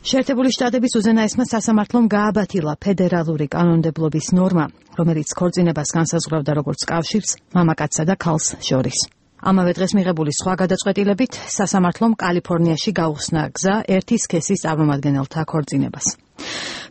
შეერთებული შტატების უზენაესმა სასამართლომ გააბათილა ფედერალური კანონმდებლობის ნორმა, რომელიც ქორწინებას განსაზღვრავდა როგორც კავშირს მამაკაცსა და ქალს შორის. ამავე დღეს მიღებული სხვა გადაწყვეტილებით სასამართლომ კალიფორნიაში გაუხსნა გზა ერთი სქესის წარმომადგენელთა ქორწინებას.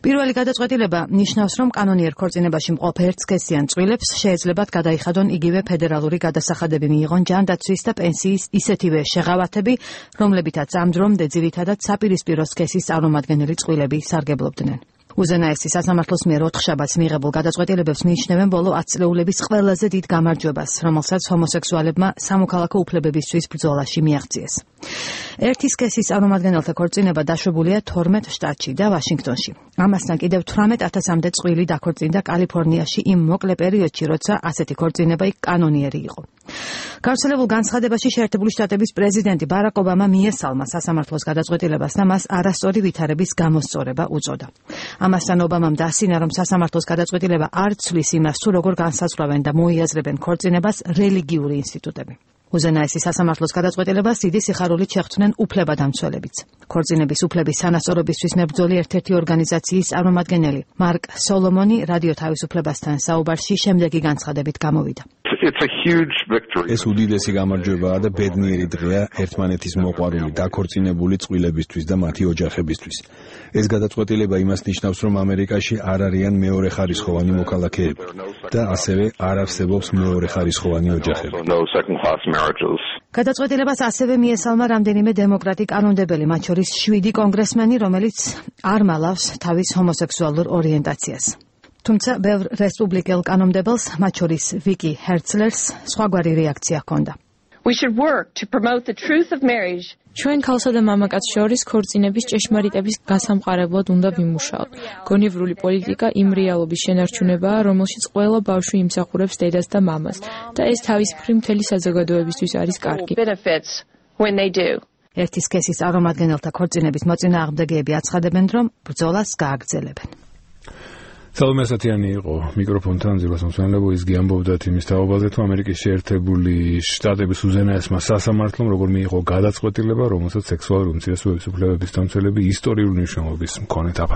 პირველი გადაწყვეტილება ნიშნავს, რომ კანონიერ ქორწინებაში მყოფ ერთსქესიან წყვილებს შეეძლებათ გადაიხადონ იგივე ფედერალური გადასახადები მიიღონ ჯანდაცვის და პენსიის ისეთივე შეღავათები, რომლებითაც ამ დრომდე ძირითადად საპირისპირო სქესის წარმომადგენელი წყვილები სარგებლობდნენ. უზენაესი სასამართლოს მიერ 4 შაბათს მიღებულ გადაწყვეტილებებს მიიჩნევენ ბოლო 10 წლეულების ყველაზე დიდ გამარჯვებას, რომელსაც ჰომოსექსუალებმა სამოქალაქო უფლებებისთვის ბრძოლაში მიაღწიეს. ერთი სქესის წარმომადგენელთა ქორწინება დაშვებულია 12 შტატში და ვაშინგტონში. ამასთან კიდევ 18,000-მდე წყვილი დაქორწინდა კალიფორნიაში იმ მოკლე პერიოდში, როცა ასეთი ქორწინება იქ კანონიერი იყო. გავრცელებულ განცხადებაში შეერთებული შტატების პრეზიდენტი ბარაკ ობამა მიესალმა სასამართლოს გადაწყვეტილებას და მას არასწორი ვითარების გამოსწორება უწოდა. ამასთან ობამამ დასინა, რომ სასამართლოს გადაწყვეტილება არ ცვლის იმას, თუ როგორ განსაზღვრავენ და მოიაზრებენ ქორწინებას რელიგიური ინსტიტუტები. უზენაესი სასამართლოს გადაწყვეტილებას დიდი სიხარულით შეხვდნენ უფლებადამცველებიც. ქორწინების უფლების სანასწორობისთვის მებრძოლი ერთ-ერთი ორგანიზაციის წარმომადგენელი მარკ სოლომონი რადიო თავისუფლებასთან საუბარში შემდეგი განცხადებით გამოვიდა. ეს უდიდესი გამარჯვებაა და ბედნიერი დღეა ერთმანეთის მოყვარული დაქორწინებული წყვილებისთვის და მათი ოჯახებისთვის. ეს გადაწყვეტილება იმას ნიშნავს, რომ ამერიკაში არ არიან მეორეხარისხოვანი მოქალაქეები და ასევე არ არსებობს მეორეხარისხოვანი ოჯახები. გადაწყვეტილებას ასევე მიესალმა რამდენიმე დემოკრატი კანონმდებელი, მათ შორის 7 კონგრესმენი, რომელიც არ მალავს თავის ჰომოსექსუალურ ორიენტაციას. თუმცა ბევრ რესპუბლიკელ კანონმდებელს, მათ შორის ვიკი ჰერცლერს, სხვაგვარი რეაქცია ჰქონდა. ჩვენ ქალსა და მამაკაცს შორის ქორწინების ჭეშმარიტების გასამყარებლად უნდა ვიმუშაოთ. გონივრული პოლიტიკა იმ რეალობის შენარჩუნებაა, რომელშიც ყველა ბავშვი იმსახურებს დედას და მამას და ეს თავის მხრივ მთელი საზოგადოებისთვის არის კარგი. ერთი სქესის წარმომადგენელთა ქორწინების მოწინააღმდეგეები აცხადებენ, რომ ბრძოლას გააგრძელებენ. სალომე ასათიანი იყო მიკროფონთან ძილას მოსვენებო, ის გიამბობდათ იმის თაობაზე, თუ ამერიკის შეერთებული შტატების უზენაესმა სასამართლომ როგორ მიიღო გადაწყვეტილება, რომელსაც სექსუალური უმცირესობების უფლებების დამცველები ისტორიული მნიშვნელობის მქონე